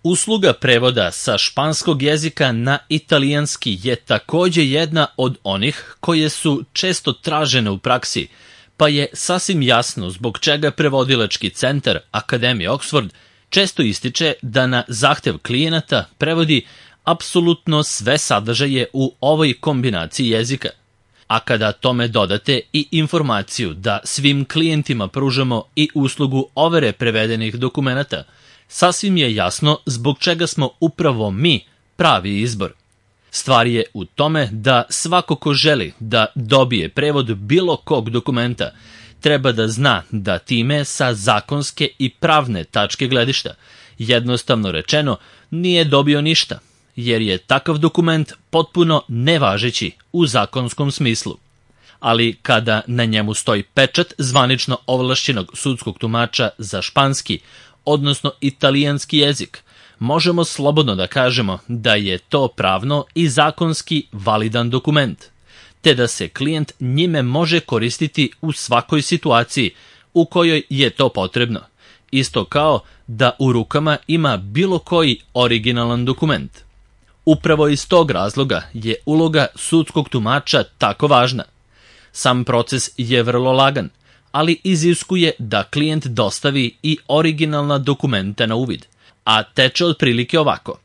Usluga prevoda sa španskog jezika na italijanski je takođe jedna od onih koje su često tražene u praksi, pa je sasvim jasno zbog čega prevodilački centar Akademije Oxford često ističe da na zahtev klijenata prevodi apsolutno sve sadržaje u ovoj kombinaciji jezika. A kada tome dodate i informaciju da svim klijentima pružamo i uslugu overe prevedenih dokumenata, sasvim je jasno zbog čega smo upravo mi pravi izbor. Stvar je u tome da svako ko želi da dobije prevod bilo kog dokumenta treba da zna da time sa zakonske i pravne tačke gledišta, jednostavno rečeno, nije dobio ništa, jer je takav dokument potpuno nevažeći u zakonskom smislu. Ali kada na njemu stoji pečat zvanično ovlašćenog sudskog tumača za španski, odnosno italijanski jezik, možemo slobodno da kažemo da je to pravno i zakonski validan dokument, te da se klijent njime može koristiti u svakoj situaciji u kojoj je to potrebno, isto kao da u rukama ima bilo koji originalan dokument. Upravo iz tog razloga je uloga sudskog tumača tako važna. Sam proces je vrlo lagan, ali iziskuje da klijent dostavi i originalna dokumenta na uvid, a teče otprilike ovako.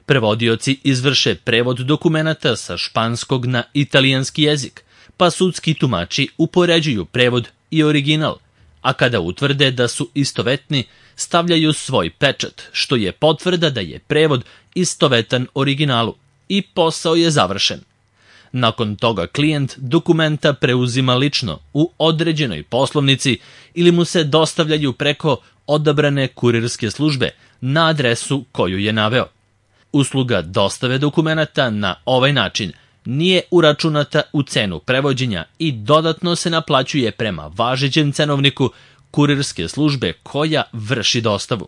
Prevodioci izvrše prevod dokumenata sa španskog na italijanski jezik, pa sudski tumači upoređuju prevod i original, a kada utvrde da su istovetni, stavljaju svoj pečat, što je potvrda da je prevod istovetan originalu i posao je završen. Nakon toga klijent dokumenta preuzima lično u određenoj poslovnici ili mu se dostavljaju preko odabrane kurirske službe na adresu koju je naveo. Usluga dostave dokumenata na ovaj način nije uračunata u cenu prevođenja i dodatno se naplaćuje prema važećem cenovniku kurirske službe koja vrši dostavu.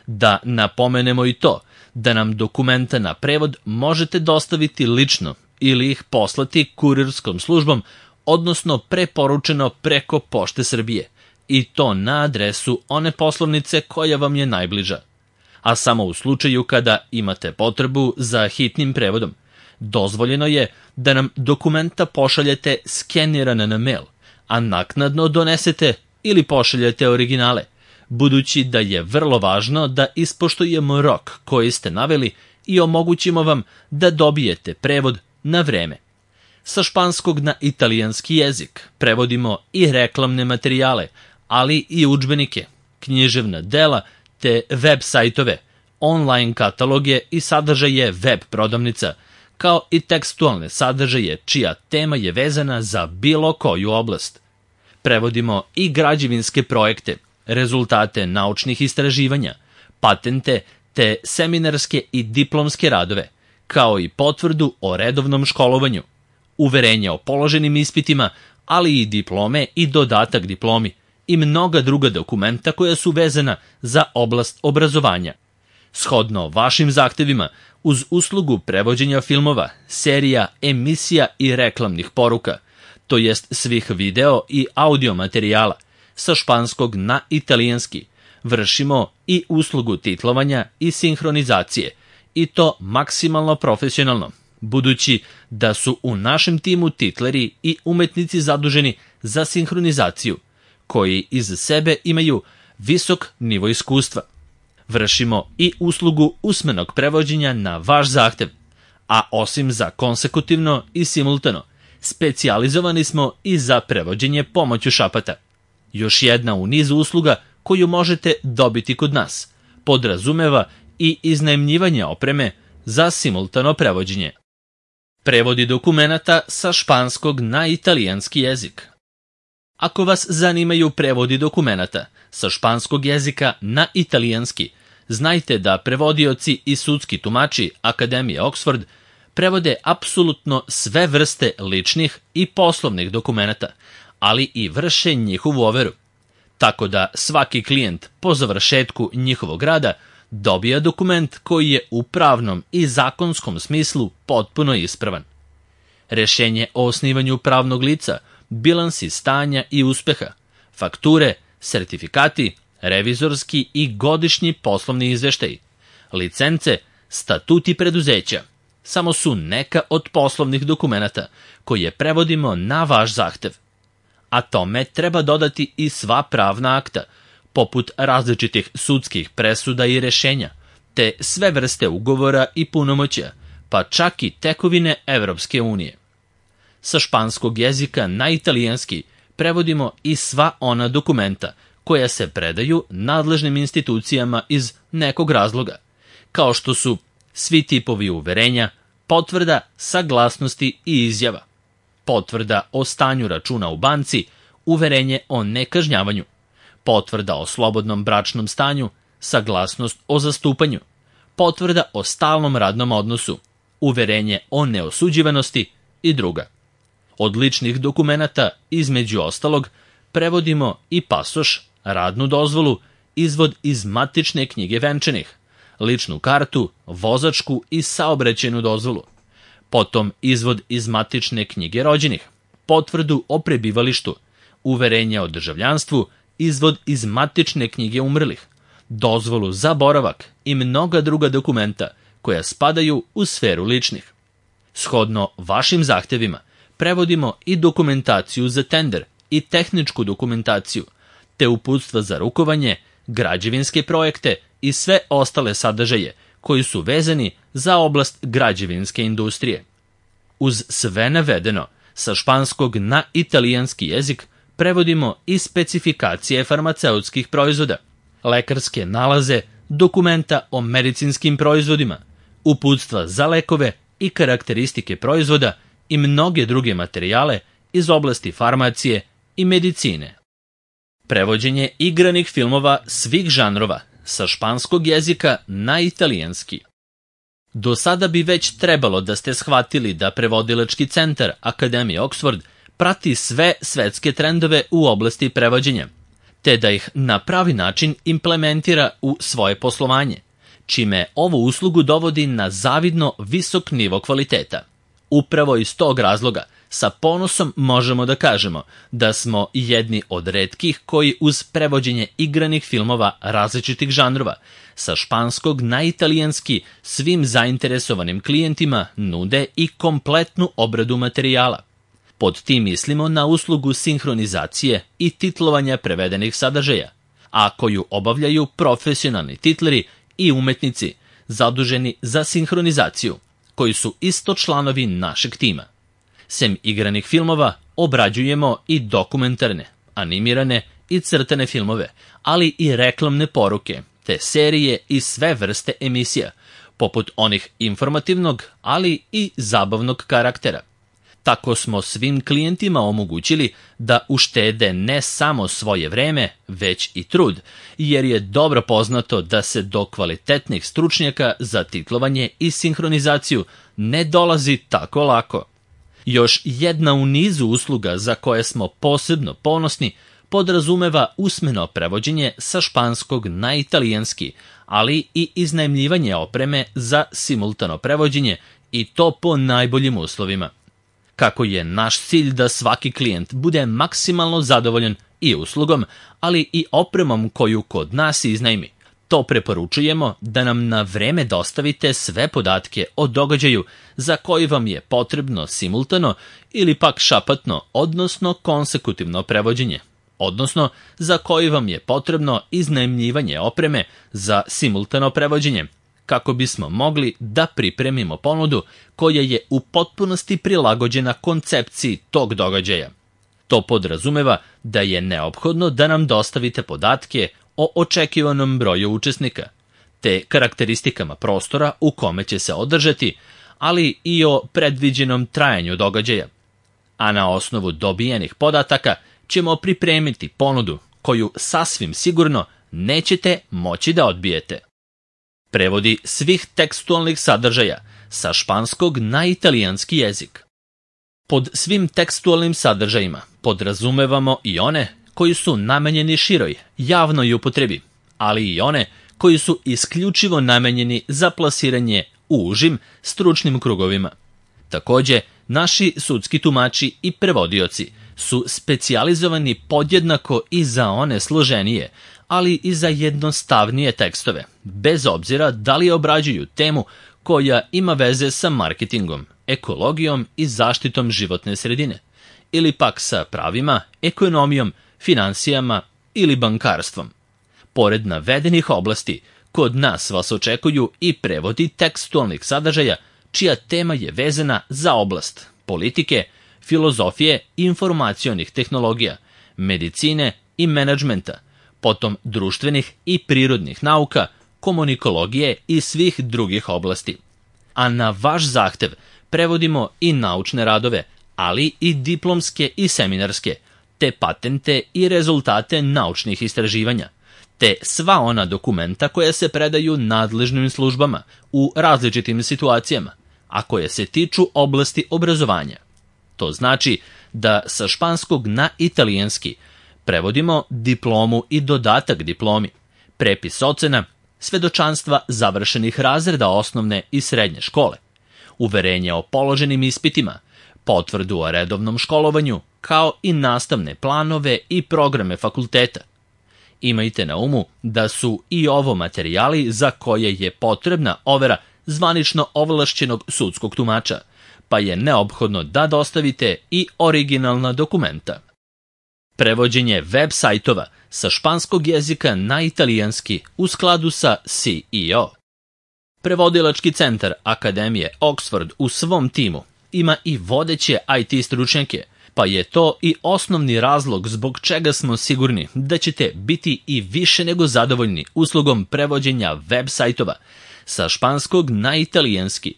Da napomenemo i to da nam dokumenta na prevod možete dostaviti lično ili ih poslati kurirskom službom, odnosno preporučeno preko Pošte Srbije, i to na adresu one poslovnice koja vam je najbliža. A samo u slučaju kada imate potrebu za hitnim prevodom, dozvoljeno je da nam dokumenta pošaljete skenirana na mail, a naknadno donesete ili pošaljete originale, budući da je vrlo važno da ispoštujemo rok koji ste naveli i omogućimo vam da dobijete prevod na vreme. Sa španskog na italijanski jezik prevodimo i reklamne materijale, ali i udžbenike, književna dela te web sajtove, online kataloge i sadržaje web prodavnica, kao i tekstualne sadržaje čija tema je vezana za bilo koju oblast. Prevodimo i građevinske projekte, rezultate naučnih istraživanja, patente te seminarske i diplomske radove, kao i potvrdu o redovnom školovanju, uverenja o položenim ispitima, ali i diplome i dodatak diplomi i mnoga druga dokumenta koja su vezana za oblast obrazovanja. Shodno vašim zahtevima, uz uslugu prevođenja filmova, serija, emisija i reklamnih poruka, to jest svih video i audio materijala, sa španskog na italijanski, vršimo i uslugu titlovanja i sinhronizacije, i to maksimalno profesionalno, budući da su u našem timu titleri i umetnici zaduženi za sinhronizaciju, koji iz sebe imaju visok nivo iskustva. Vršimo i uslugu usmenog prevođenja na vaš zahtev, a osim za konsekutivno i simultano, specijalizovani smo i za prevođenje pomoću šapata. Još jedna u nizu usluga koju možete dobiti kod nas podrazumeva i iznajmljivanje opreme za simultano prevođenje. Prevodi dokumenata sa španskog na italijanski jezik. Ako vas zanimaju prevodi dokumenata sa španskog jezika na italijanski, znajte da prevodioci i sudski tumači Akademije Oxford prevode apsolutno sve vrste ličnih i poslovnih dokumenata, ali i vrše njihovu overu. Tako da svaki klijent po završetku njihovog rada dobija dokument koji je u pravnom i zakonskom smislu potpuno ispravan. Rešenje o osnivanju pravnog lica, bilansi stanja i uspeha, fakture, sertifikati, revizorski i godišnji poslovni izveštaji, Licence, statuti preduzeća samo su neka od poslovnih dokumenata koje prevodimo na vaš zahtev. A tome treba dodati i sva pravna akta, poput različitih sudskih presuda i rešenja, te sve vrste ugovora i punomoćja, pa čak i tekovine Evropske unije. Sa španskog jezika na italijanski prevodimo i sva ona dokumenta koja se predaju nadležnim institucijama iz nekog razloga, kao što su svi tipovi uverenja, potvrda, saglasnosti i izjava, potvrda o stanju računa u banci, uverenje o nekažnjavanju, potvrda o slobodnom bračnom stanju, saglasnost o zastupanju, potvrda o stalnom radnom odnosu, uverenje o neosuđivanosti i druga. Od ličnih dokumenata, između ostalog, prevodimo i pasoš, radnu dozvolu, izvod iz matične knjige venčanih, ličnu kartu, vozačku i saobraćajnu dozvolu, potom izvod iz matične knjige rođenih, potvrdu o prebivalištu, uverenje o državljanstvu, izvod iz matične knjige umrlih, dozvolu za boravak i mnoga druga dokumenta koja spadaju u sferu ličnih. Shodno vašim zahtevima, prevodimo i dokumentaciju za tender i tehničku dokumentaciju, te uputstva za rukovanje, građevinske projekte i sve ostale sadržaje koji su vezani za oblast građevinske industrije. Uz sve navedeno, sa španskog na italijanski jezik prevodimo i specifikacije farmaceutskih proizvoda, lekarske nalaze, dokumenta o medicinskim proizvodima, uputstva za lekove i karakteristike proizvoda i mnoge druge materijale iz oblasti farmacije i medicine. Prevođenje igranih filmova svih žanrova sa španskog jezika na italijanski. Do sada bi već trebalo da ste shvatili da prevodilački centar Akademije Oxford prati sve svetske trendove u oblasti prevođenja, te da ih na pravi način implementira u svoje poslovanje, čime ovu uslugu dovodi na zavidno visok nivo kvaliteta. Upravo iz tog razloga sa ponosom možemo da kažemo da smo jedni od retkih koji uz prevođenje igranih filmova različitih žanrova sa španskog na italijanski svim zainteresovanim klijentima nude i kompletnu obradu materijala. Pod tim mislimo na uslugu sinhronizacije i titlovanja prevedenih sadržaja, a koju obavljaju profesionalni titleri i umetnici zaduženi za sinhronizaciju, koji su isto članovi našeg tima. Sem igranih filmova, obrađujemo i dokumentarne, animirane i crtane filmove, ali i reklamne poruke, te serije i sve vrste emisija, poput onih informativnog, ali i zabavnog karaktera. Tako smo svim klijentima omogućili da uštede ne samo svoje vreme, već i trud, jer je dobro poznato da se do kvalitetnih stručnjaka za titlovanje i sinhronizaciju ne dolazi tako lako. Još jedna u nizu usluga za koje smo posebno ponosni podrazumeva usmeno prevođenje sa španskog na italijanski, ali i iznajmljivanje opreme za simultano prevođenje i to po najboljim uslovima. Kako je naš cilj da svaki klijent bude maksimalno zadovoljan i uslugom, ali i opremom koju kod nas iznajmi, to preporučujemo da nam na vreme dostavite sve podatke o događaju za koji vam je potrebno simultano ili pak šapatno, odnosno konsekutivno prevođenje, odnosno za koji vam je potrebno iznajmljivanje opreme za simultano prevođenje, kako bismo mogli da pripremimo ponudu koja je u potpunosti prilagođena koncepciji tog događaja. To podrazumeva da je neophodno da nam dostavite podatke o očekivanom broju učesnika, te karakteristikama prostora u kome će se održati, ali i o predviđenom trajanju događaja. A na osnovu dobijenih podataka ćemo pripremiti ponudu koju sasvim sigurno nećete moći da odbijete. Prevodi svih tekstualnih sadržaja sa španskog na italijanski jezik. Pod svim tekstualnim sadržajima podrazumevamo i one koji su namenjeni široj, javnoj upotrebi, ali i one koji su isključivo namenjeni za plasiranje u užim stručnim krugovima. Takođe, naši sudski tumači i prevodioci su specijalizovani podjednako i za one složenije, ali i za jednostavnije tekstove, bez obzira da li obrađuju temu koja ima veze sa marketingom, ekologijom i zaštitom životne sredine, ili pak sa pravima, ekonomijom, finansijama ili bankarstvom. Pored navedenih oblasti, kod nas vas očekuju i prevodi tekstualnih sadržaja čija tema je vezana za oblast politike, filozofije i informacionih tehnologija, medicine i menadžmenta, potom društvenih i prirodnih nauka, komunikologije i svih drugih oblasti. A na vaš zahtev prevodimo i naučne radove, ali i diplomske i seminarske, te patente i rezultate naučnih istraživanja, te sva ona dokumenta koja se predaju nadležnim službama u različitim situacijama, a koje se tiču oblasti obrazovanja. To znači da sa španskog na italijanski prevodimo diplomu i dodatak diplomi, prepis ocena, svedočanstva završenih razreda osnovne i srednje škole, uverenje o položenim ispitima, potvrdu o redovnom školovanju, kao i nastavne planove i programe fakulteta. Imajte na umu da su i ovo materijali za koje je potrebna overa zvanično ovlašćenog sudskog tumača, pa je neophodno da dostavite i originalna dokumenta. Prevođenje web sajtova sa španskog jezika na italijanski u skladu sa CEO. Prevodilački centar Akademije Oxford u svom timu ima i vodeće IT stručnjake, pa je to i osnovni razlog zbog čega smo sigurni da ćete biti i više nego zadovoljni uslugom prevođenja web sajtova sa španskog na italijanski.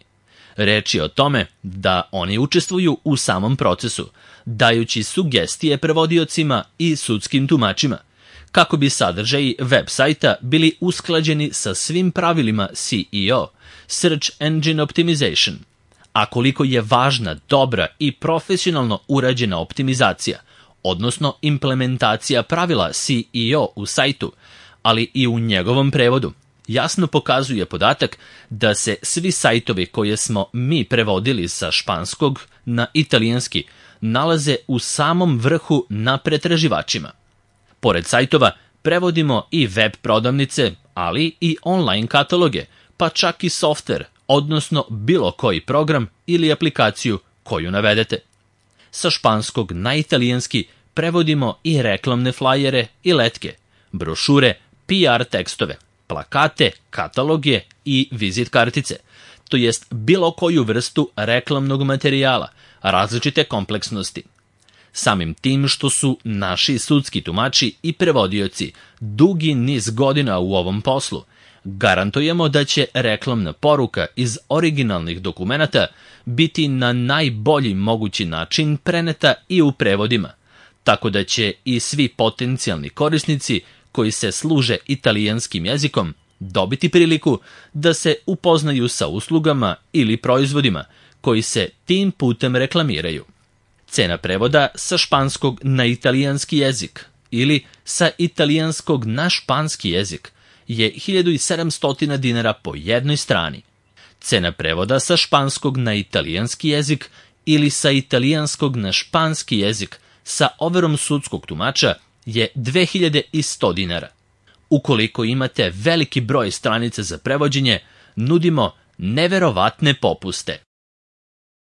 Reč je o tome da oni učestvuju u samom procesu, dajući sugestije prevodiocima i sudskim tumačima, kako bi sadržaji web sajta bili usklađeni sa svim pravilima SEO, Search Engine Optimization. A koliko je važna, dobra i profesionalno urađena optimizacija, odnosno implementacija pravila SEO u sajtu, ali i u njegovom prevodu, jasno pokazuje podatak da se svi sajtovi koje smo mi prevodili sa španskog na italijanski nalaze u samom vrhu na pretraživačima. Pored sajtova prevodimo i web prodavnice, ali i online kataloge, pa čak i softver, odnosno bilo koji program ili aplikaciju koju navedete. Sa španskog na italijanski prevodimo i reklamne flajere i letke, brošure, PR tekstove, plakate, kataloge i vizit kartice, to jest bilo koju vrstu reklamnog materijala, različite kompleksnosti. Samim tim što su naši sudski tumači i prevodioci dugi niz godina u ovom poslu, garantujemo da će reklamna poruka iz originalnih dokumenata biti na najbolji mogući način preneta i u prevodima, tako da će i svi potencijalni korisnici koji se služe italijanskim jezikom dobiti priliku da se upoznaju sa uslugama ili proizvodima koji se tim putem reklamiraju. Cena prevoda sa španskog na italijanski jezik ili sa italijanskog na španski jezik je 1700 dinara po jednoj strani. Cena prevoda sa španskog na italijanski jezik ili sa italijanskog na španski jezik sa overom sudskog tumača je 2100 dinara. Ukoliko imate veliki broj stranica za prevođenje, nudimo neverovatne popuste.